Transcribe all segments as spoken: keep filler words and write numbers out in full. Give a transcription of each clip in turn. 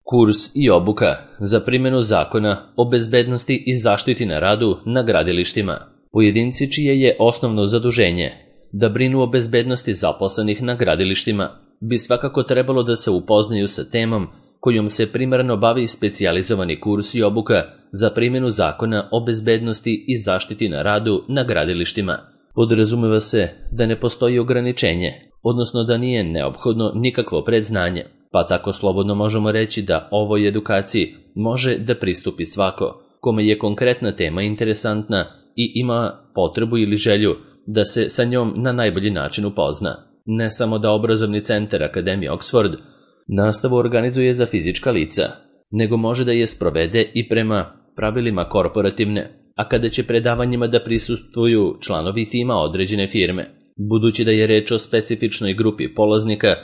Kurs i obuka za primjenu zakona o bezbednosti i zaštiti na radu na gradilištima. Pojedinci čije je osnovno zaduženje da brinu o bezbednosti zaposlenih na gradilištima bi svakako trebalo da se upoznaju sa temom kojom se primarno bavi specijalizovani kurs i obuka za primjenu zakona o bezbednosti i zaštiti na radu na gradilištima. Podrazumeva se da ne postoji ograničenje, odnosno da nije neophodno nikakvo predznanje, pa tako slobodno možemo reći da ovoj edukaciji može da pristupi svako kome je konkretna tema interesantna i ima potrebu ili želju da se sa njom na najbolji način upozna. Ne samo da obrazovni centar Akademije Oxford nastavu organizuje za fizička lica, nego može da je sprovede i prema pravilima korporativne, a kada će predavanjima da prisustvuju članovi tima određene firme. Budući da je reč o specifičnoj grupi polaznika,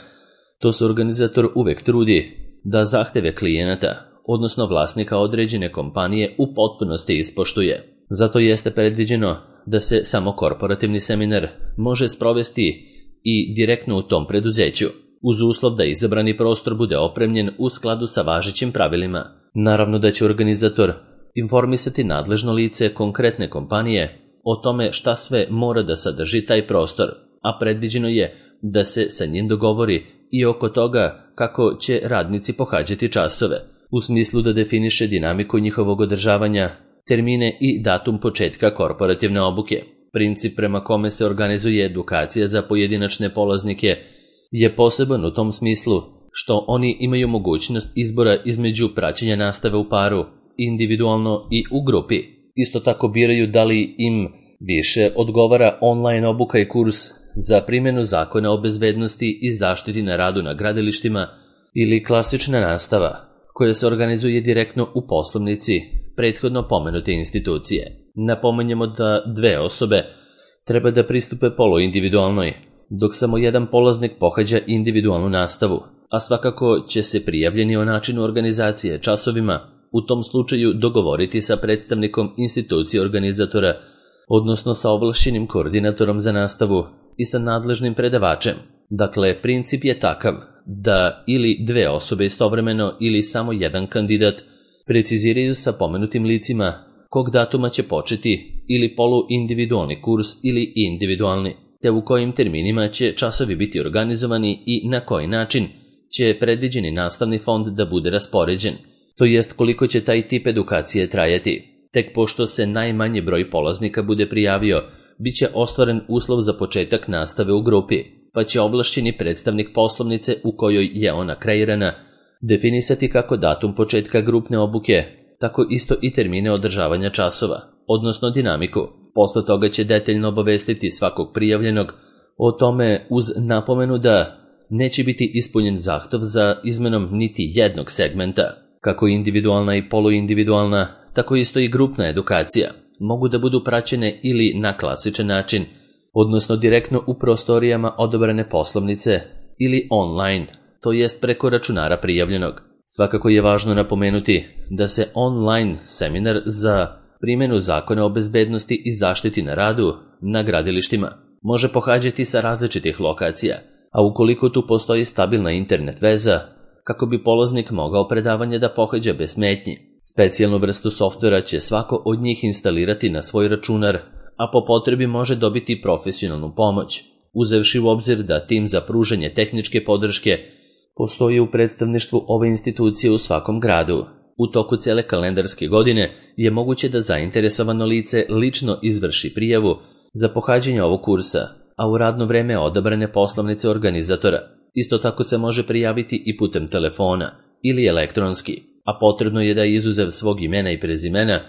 to se organizator uvek trudi da zahteve klijenata, odnosno vlasnika određene kompanije, u potpunosti ispoštuje. Zato jeste predviđeno da se samo korporativni seminar može sprovesti i direktno u tom preduzeću, uz uslov da izabrani prostor bude opremljen u skladu sa važećim pravilima. Naravno da će organizator informisati nadležno lice konkretne kompanije o tome šta sve mora da sadrži taj prostor, a predviđeno je da se sa njim dogovori i oko toga kako će radnici pohađati časove, u smislu da definiše dinamiku njihovog održavanja, termine i datum početka korporativne obuke. Princip prema kome se organizuje edukacija za pojedinačne polaznike je poseban u tom smislu što oni imaju mogućnost izbora između praćenja nastave u paru, individualno i u grupi. Isto tako biraju da li im više odgovara online obuka i kurs za primjenu zakona o bezbednosti i zaštiti na radu na gradilištima ili klasična nastava koja se organizuje direktno u poslovnici prethodno pomenute institucije. Napomenjemo da dve osobe treba da pristupe poluindividualnoj, dok samo jedan polaznik pohađa individualnu nastavu, a svakako će se prijavljeni o načinu organizacije časovima u tom slučaju dogovoriti sa predstavnikom institucije organizatora, odnosno sa ovlašćenim koordinatorom za nastavu i sa nadležnim predavačem. Dakle, princip je takav da ili dve osobe istovremeno ili samo jedan kandidat preciziraju sa pomenutim licima kog datuma će početi ili poluindividualni kurs ili individualni, te u kojim terminima će časovi biti organizovani i na koji način će predviđeni nastavni fond da bude raspoređen, to jest koliko će taj tip edukacije trajati. Tek pošto se najmanji broj polaznika bude prijavio, bit će ostvaren uslov za početak nastave u grupi, pa će ovlašćeni predstavnik poslovnice u kojoj je ona kreirana definisati kako datum početka grupne obuke, tako isto i termine održavanja časova, odnosno dinamiku. Posle toga će detaljno obavestiti svakog prijavljenog o tome uz napomenu da neće biti ispunjen zahtev za izmenom niti jednog segmenta. Kako individualna i poluindividualna, tako isto i grupna edukacija mogu da budu praćene ili na klasičan način, odnosno direktno u prostorijama odabrane poslovnice ili online, to jest preko računara prijavljenog. Svakako je važno napomenuti da se online seminar za primjenu zakona o bezbednosti i zaštiti na radu na gradilištima može pohađati sa različitih lokacija, a ukoliko tu postoji stabilna internet veza, kako bi polaznik mogao predavanje da pohađa bez smetnji. Specijalnu vrstu softvera će svako od njih instalirati na svoj računar, a po potrebi može dobiti profesionalnu pomoć, uzevši u obzir da tim za pružanje tehničke podrške postoji u predstavništvu ove institucije u svakom gradu. U toku cele kalendarske godine je moguće da zainteresovano lice lično izvrši prijavu za pohađanje ovog kursa, a u radno vreme odabrane poslovnice organizatora. Isto tako se može prijaviti i putem telefona ili elektronski, a potrebno je da izuzev svog imena i prezimena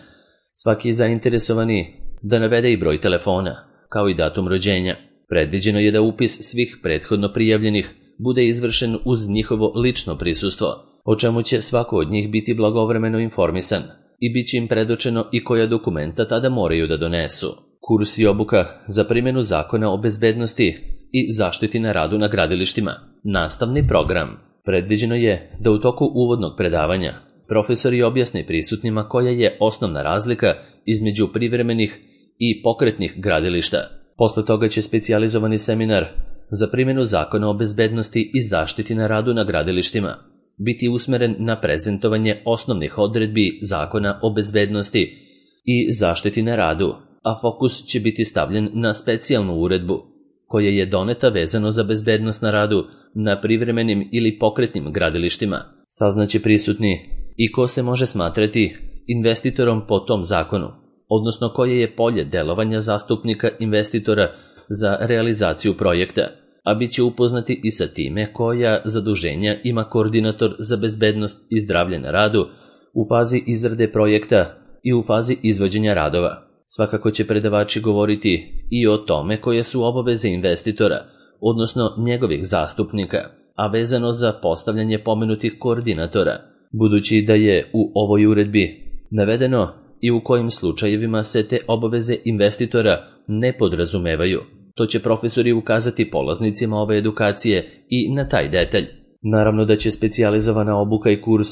svaki zainteresovani da navede i broj telefona, kao i datum rođenja. Predviđeno je da upis svih prethodno prijavljenih bude izvršen uz njihovo lično prisustvo, o čemu će svako od njih biti blagovremeno informisan i bit će im predočeno i koja dokumenta tada moraju da donesu. Kurs i obuka za primjenu zakona o bezbednosti i zaštiti na radu na gradilištima. Nastavni program. Predviđeno je da u toku uvodnog predavanja profesori objasne prisutnima koja je osnovna razlika između privremenih i pokretnih gradilišta. Posle toga će specijalizovani seminar za primjenu zakona o bezbednosti i zaštiti na radu na gradilištima biti usmeren na prezentovanje osnovnih odredbi Zakona o bezbednosti i zaštiti na radu, a fokus će biti stavljen na specijalnu uredbu, koja je doneta vezano za bezbednost na radu na privremenim ili pokretnim gradilištima. Saznaće prisutni i ko se može smatrati investitorom po tom zakonu, odnosno koje je polje delovanja zastupnika investitora za realizaciju projekta, a bit će upoznati i sa time koja zaduženja ima koordinator za bezbednost i zdravlje na radu u fazi izrade projekta i u fazi izvođenja radova. Svakako će predavači govoriti i o tome koje su obaveze investitora, odnosno njegovih zastupnika, a vezano za postavljanje pomenutih koordinatora, budući da je u ovoj uredbi navedeno i u kojim slučajevima se te obaveze investitora ne podrazumevaju. To će profesori ukazati polaznicima ove edukacije i na taj detalj. Naravno da će specijalizovana obuka i kurs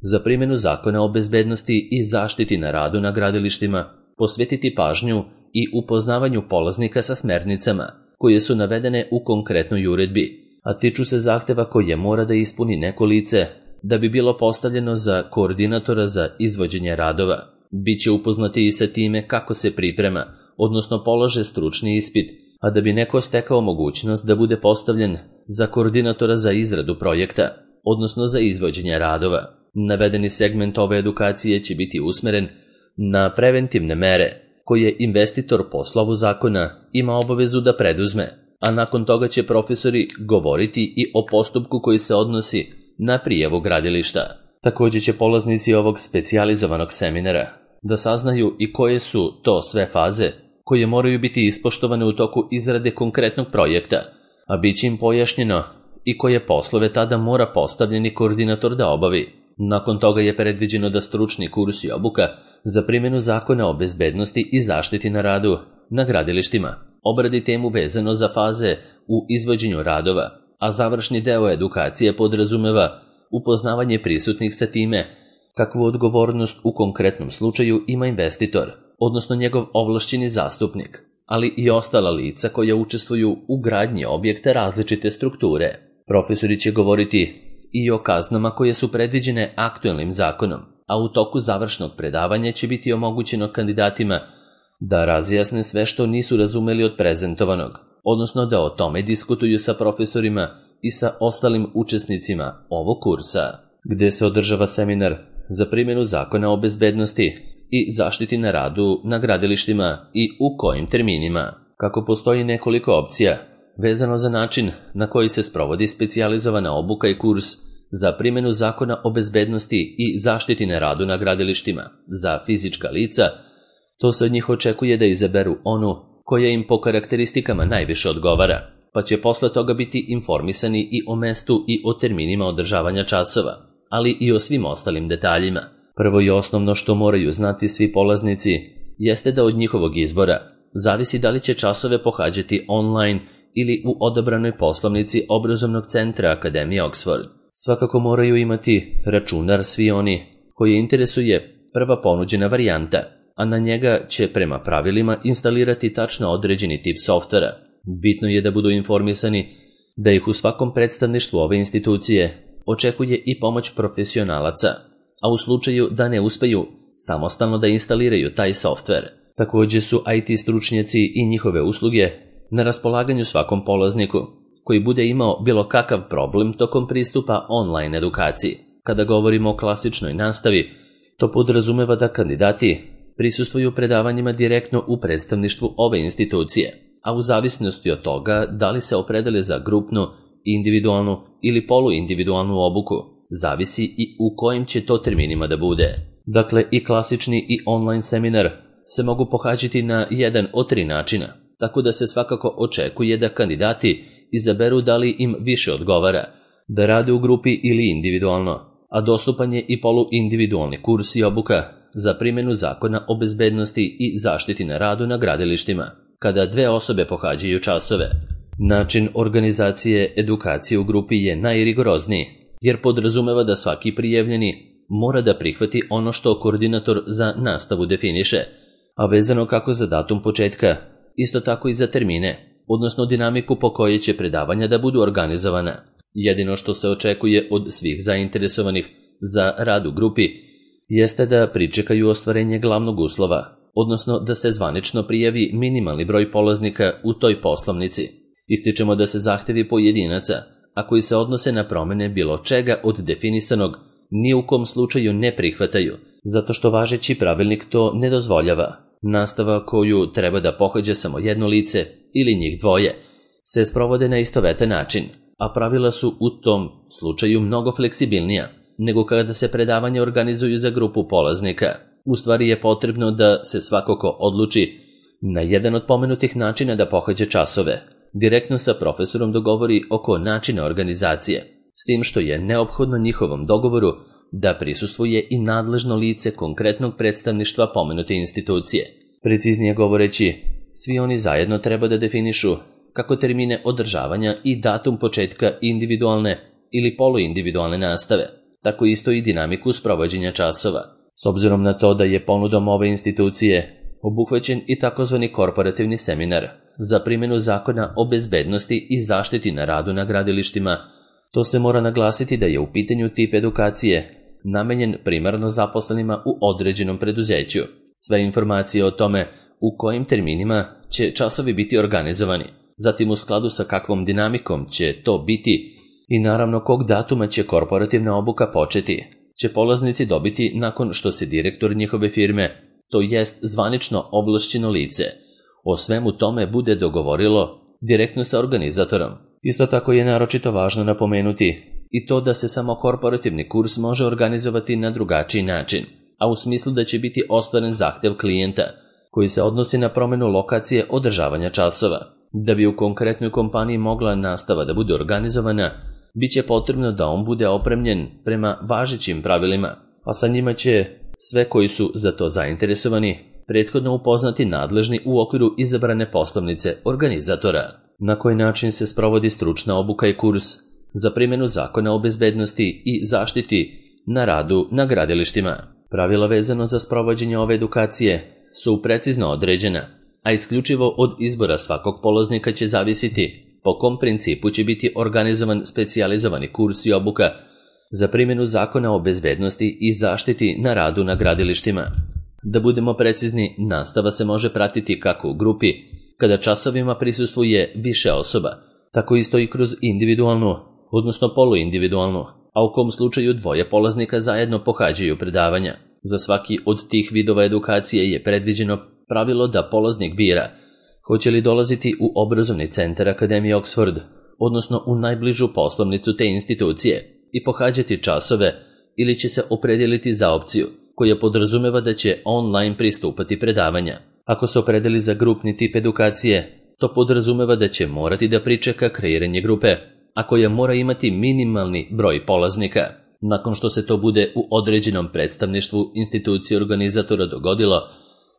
za primjenu Zakona o bezbednosti i zaštiti na radu na gradilištima posvetiti pažnju i upoznavanju polaznika sa smernicama koje su navedene u konkretnoj uredbi, a tiču se zahteva koje mora da ispuni neko lice da bi bilo postavljeno za koordinatora za izvođenje radova. Biće upoznati i sa time kako se priprema, odnosno polože stručni ispit, a da bi neko stekao mogućnost da bude postavljen za koordinatora za izradu projekta, odnosno za izvođenje radova. Navedeni segment ove edukacije će biti usmeren na preventivne mere koje investitor po slovu zakona ima obavezu da preduzme, a nakon toga će profesori govoriti i o postupku koji se odnosi na prijavu gradilišta. Također će polaznici ovog specijalizovanog seminara da saznaju i koje su to sve faze koje moraju biti ispoštovane u toku izrade konkretnog projekta, a bit će im pojašnjeno i koje poslove tada mora postavljeni koordinator da obavi. Nakon toga je predviđeno da stručni kurs i obuka za primjenu Zakona o bezbednosti i zaštiti na radu na gradilištima obradi temu vezano za faze u izvođenju radova, a završni deo edukacije podrazumeva upoznavanje prisutnih sa time kakvu odgovornost u konkretnom slučaju ima investitor, odnosno njegov ovlašćeni zastupnik, ali i ostala lica koja učestvuju u gradnji objekta različite strukture. Profesori će govoriti i o kaznama koje su predviđene aktuelnim zakonom, a u toku završnog predavanja će biti omogućeno kandidatima da razjasne sve što nisu razumeli od prezentovanog, odnosno da o tome diskutuju sa profesorima i sa ostalim učesnicima ovog kursa, gde se održava seminar za primjenu Zakona o bezbednosti i zaštiti na radu na gradilištima i u kojim terminima. Kako postoji nekoliko opcija vezano za način na koji se sprovodi specijalizovana obuka i kurs za primjenu Zakona o bezbednosti i zaštiti na radu na gradilištima za fizička lica, to se od njih očekuje da izaberu onu koja im po karakteristikama najviše odgovara, pa će posle toga biti informisani i o mestu i o terminima održavanja časova, ali i o svim ostalim detaljima. Prvo i osnovno što moraju znati svi polaznici jeste da od njihovog izbora zavisi da li će časove pohađati online ili u odabranoj poslovnici obrazovnog centra Akademije Oxford. Svakako moraju imati računar svi oni koji interesuje prva ponuđena varijanta, a na njega će prema pravilima instalirati tačno određeni tip softvera. Bitno je da budu informisani da ih u svakom predstavništvu ove institucije očekuje i pomoć profesionalaca, a u slučaju da ne uspeju samostalno da instaliraju taj softver. Također su I T stručnjaci i njihove usluge na raspolaganju svakom polazniku koji bude imao bilo kakav problem tokom pristupa online edukaciji. Kada govorimo o klasičnoj nastavi, to podrazumeva da kandidati prisustvuju predavanjima direktno u predstavništvu ove institucije, a u zavisnosti od toga da li se opredele za grupnu, individualnu ili poluindividualnu obuku, zavisi i u kojim će to terminima da bude. Dakle, i klasični i online seminar se mogu pohađati na jedan od tri načina, tako da se svakako očekuje da kandidati izaberu da li im više odgovara, da rade u grupi ili individualno, a dostupan je i poluindividualni kurs i obuka za primjenu Zakona o bezbednosti i zaštiti na radu na gradilištima, kada dve osobe pohađaju časove. Način organizacije edukacije u grupi je najrigorozniji, jer podrazumeva da svaki prijavljeni mora da prihvati ono što koordinator za nastavu definiše, a vezano kako za datum početka, isto tako i za termine, odnosno dinamiku po kojoj će predavanja da budu organizovana. Jedino što se očekuje od svih zainteresovanih za rad u grupi jeste da pričekaju ostvarenje glavnog uslova, odnosno da se zvanično prijavi minimalni broj polaznika u toj poslovnici. Ističemo da se zahtevi pojedinaca, a koji se odnose na promene bilo čega od definisanog, ni u kom slučaju ne prihvataju, zato što važeći pravilnik to ne dozvoljava. Nastava koju treba da pohađa samo jedno lice ili njih dvoje se sprovode na istovetan način, a pravila su u tom slučaju mnogo fleksibilnija nego kada se predavanja organizuju za grupu polaznika. U stvari je potrebno da se svako ko odluči na jedan od pomenutih načina da pohađa časove, direktno sa profesorom dogovori oko načina organizacije, s tim što je neophodno njihovom dogovoru da prisustvuje i nadležno lice konkretnog predstavništva pomenute institucije. Preciznije govoreći, svi oni zajedno treba da definišu kako termine održavanja i datum početka individualne ili poluindividualne nastave, tako isto i dinamiku sprovođenja časova. S obzirom na to da je ponudom ove institucije obuhvaćen i takozvani korporativni seminar za primjenu zakona o bezbednosti i zaštiti na radu na gradilištima, to se mora naglasiti da je u pitanju tip edukacije namenjen primarno zaposlenima u određenom preduzeću. Sve informacije o tome u kojim terminima će časovi biti organizovani, zatim u skladu sa kakvom dinamikom će to biti i naravno kog datuma će korporativna obuka početi, će polaznici dobiti nakon što se direktor njihove firme, to jest zvanično ovlašćeno lice, o svemu tome bude dogovorilo direktno sa organizatorom. Isto tako je naročito važno napomenuti i to da se samo korporativni kurs može organizovati na drugačiji način, a u smislu da će biti ostvaren zahtev klijenta, koji se odnosi na promenu lokacije održavanja časova. Da bi u konkretnoj kompaniji mogla nastava da bude organizovana, bit će potrebno da on bude opremljen prema važećim pravilima, a sa njima će sve koji su za to zainteresovani prethodno upoznati nadležni u okviru izabrane poslovnice organizatora. Na koji način se sprovodi stručna obuka i kurs za primjenu zakona o bezbednosti i zaštiti na radu na gradilištima. Pravila vezano za sprovođenje ove edukacije su precizno određena, a isključivo od izbora svakog polaznika će zavisiti po kom principu će biti organizovan specijalizovani kurs i obuka za primjenu zakona o bezbednosti i zaštiti na radu na gradilištima. Da budemo precizni, nastava se može pratiti kako u grupi, kada časovima prisustvuje više osoba, tako isto i kroz individualnu, odnosno poluindividualnu, a u kom slučaju dvoje polaznika zajedno pohađaju predavanja. Za svaki od tih vidova edukacije je predviđeno pravilo da polaznik bira hoće li dolaziti u obrazovni centar Akademije Oxford, odnosno u najbližu poslovnicu te institucije, i pohađati časove ili će se opredijeliti za opciju koja podrazumeva da će online pristupati predavanja. Ako se opredeli za grupni tip edukacije, to podrazumeva da će morati da pričeka kreiranje grupe, a koja mora imati minimalni broj polaznika. Nakon što se to bude u određenom predstavništvu institucije organizatora dogodilo,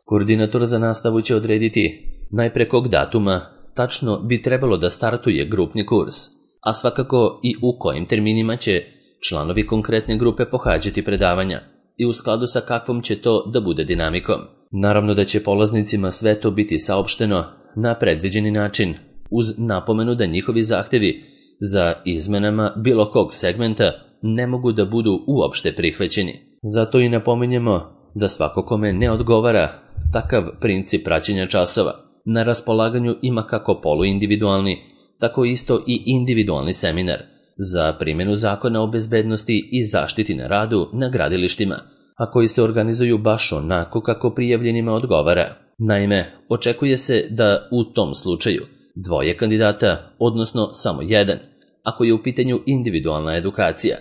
koordinator za nastavu će odrediti najpre kog datuma tačno bi trebalo da startuje grupni kurs, a svakako i u kojim terminima će članovi konkretne grupe pohađati predavanja i u skladu sa kakvom će to da bude dinamikom. Naravno da će polaznicima sve to biti saopšteno na predviđeni način, uz napomenu da njihovi zahtevi za izmenama bilo kog segmenta ne mogu da budu uopšte prihvaćeni. Zato i napominjemo da svako kome ne odgovara takav princip praćenja časova na raspolaganju ima kako poluindividualni, tako isto i individualni seminar za primjenu zakona o bezbednosti i zaštiti na radu na gradilištima, a koji se organizuju baš onako kako prijavljenima odgovara. Naime, očekuje se da u tom slučaju dvoje kandidata, odnosno samo jedan, ako je u pitanju individualna edukacija,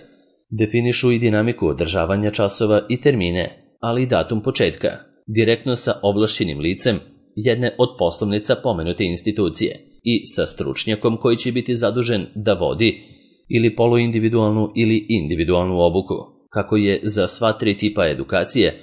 definišu i dinamiku održavanja časova i termine, ali i datum početka, direktno sa ovlašćenim licem jedne od poslovnica pomenute institucije i sa stručnjakom koji će biti zadužen da vodi ili poluindividualnu ili individualnu obuku. Kako je za sva tri tipa edukacije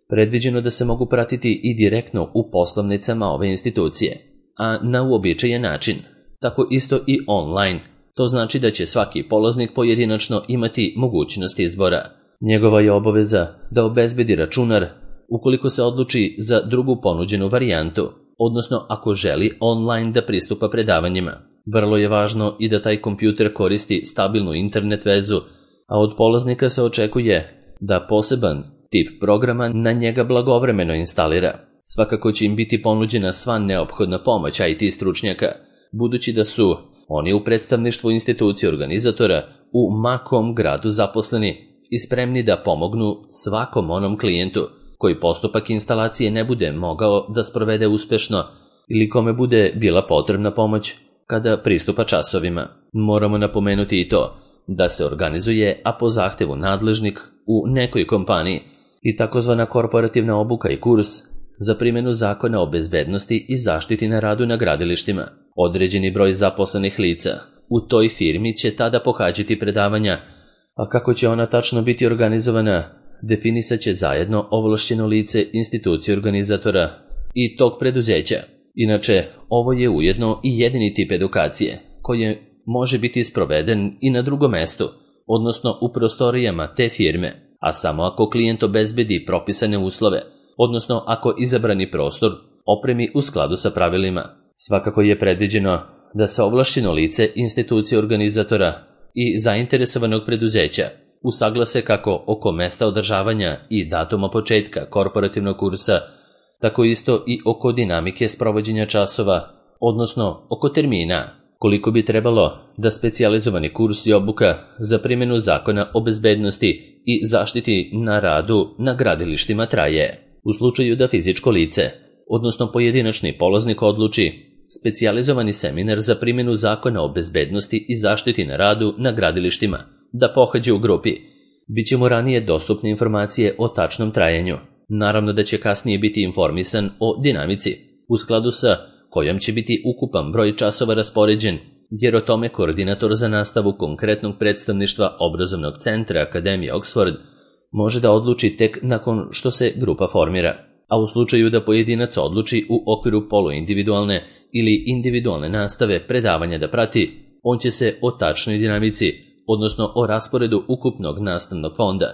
predviđeno da se mogu pratiti i direktno u poslovnicama ove institucije, a na uobičajen način, tako isto i online. To znači da će svaki polaznik pojedinačno imati mogućnost izbora. Njegova je obaveza da obezbedi računar ukoliko se odluči za drugu ponuđenu varijantu, odnosno ako želi online da pristupa predavanjima. Vrlo je važno i da taj kompjuter koristi stabilnu internet vezu, a od polaznika se očekuje da poseban tip programa na njega blagovremeno instalira. Svakako će im biti ponuđena sva neophodna pomoć I T stručnjaka, budući da su oni u predstavništvu institucije organizatora u ma kom gradu zaposleni i spremni da pomognu svakom onom klijentu koji postupak instalacije ne bude mogao da sprovede uspešno ili kome bude bila potrebna pomoć kada pristupa časovima. Moramo napomenuti i to da se organizuje, a po zahtevu nadležnik u nekoj kompaniji, i takozvana korporativna obuka i kurs za primjenu zakona o bezbednosti i zaštiti na radu na gradilištima. Određeni broj zaposlenih lica u toj firmi će tada pohađati predavanja, a kako će ona tačno biti organizovana, definisat će zajedno ovlašćeno lice institucije organizatora i tog preduzeća. Inače, ovo je ujedno i jedini tip edukacije koji može biti sproveden i na drugom mestu, odnosno u prostorijama te firme, a samo ako klijent obezbedi propisane uslove, odnosno ako izabrani prostor opremi u skladu sa pravilima. Svakako je predviđeno da se ovlašćeno lice institucije organizatora i zainteresovanog preduzeća usaglase kako oko mesta održavanja i datuma početka korporativnog kursa, tako isto i oko dinamike sprovođenja časova, odnosno oko termina, koliko bi trebalo da specijalizovani kurs i obuka za primjenu zakona o bezbednosti i zaštiti na radu na gradilištima traje. U slučaju da fizičko lice, odnosno pojedinačni polaznik odluči specijalizovani seminar za primjenu zakona o bezbednosti i zaštiti na radu na gradilištima da pohađe u grupi, bit će mu ranije dostupne informacije o tačnom trajanju. Naravno da će kasnije biti informisan o dinamici, u skladu sa kojom će biti ukupan broj časova raspoređen, jer o tome koordinator za nastavu konkretnog predstavništva obrazovnog centra Akademije Oxford može da odluči tek nakon što se grupa formira. A u slučaju da pojedinac odluči u okviru poluindividualne ili individualne nastave predavanja da prati, on će se o tačnoj dinamici, odnosno o rasporedu ukupnog nastavnog fonda,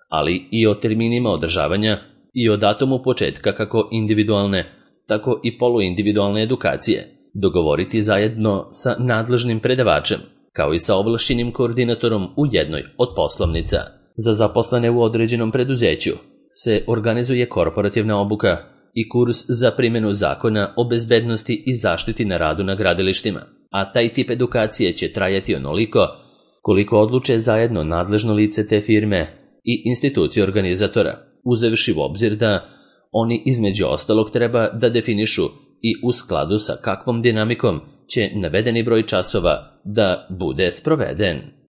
ali i o terminima održavanja i o datumu početka kako individualne, tako i poluindividualne edukacije, dogovoriti zajedno sa nadležnim predavačem, kao i sa ovlašćenim koordinatorom u jednoj od poslovnica. Za zaposlene u određenom preduzeću se organizuje korporativna obuka i kurs za primjenu zakona o bezbednosti i zaštiti na radu na gradilištima, a taj tip edukacije će trajati onoliko koliko odluče zajedno nadležno lice te firme i institucije organizatora, uzevši u obzir da oni između ostalog treba da definišu i u skladu sa kakvom dinamikom će navedeni broj časova da bude sproveden.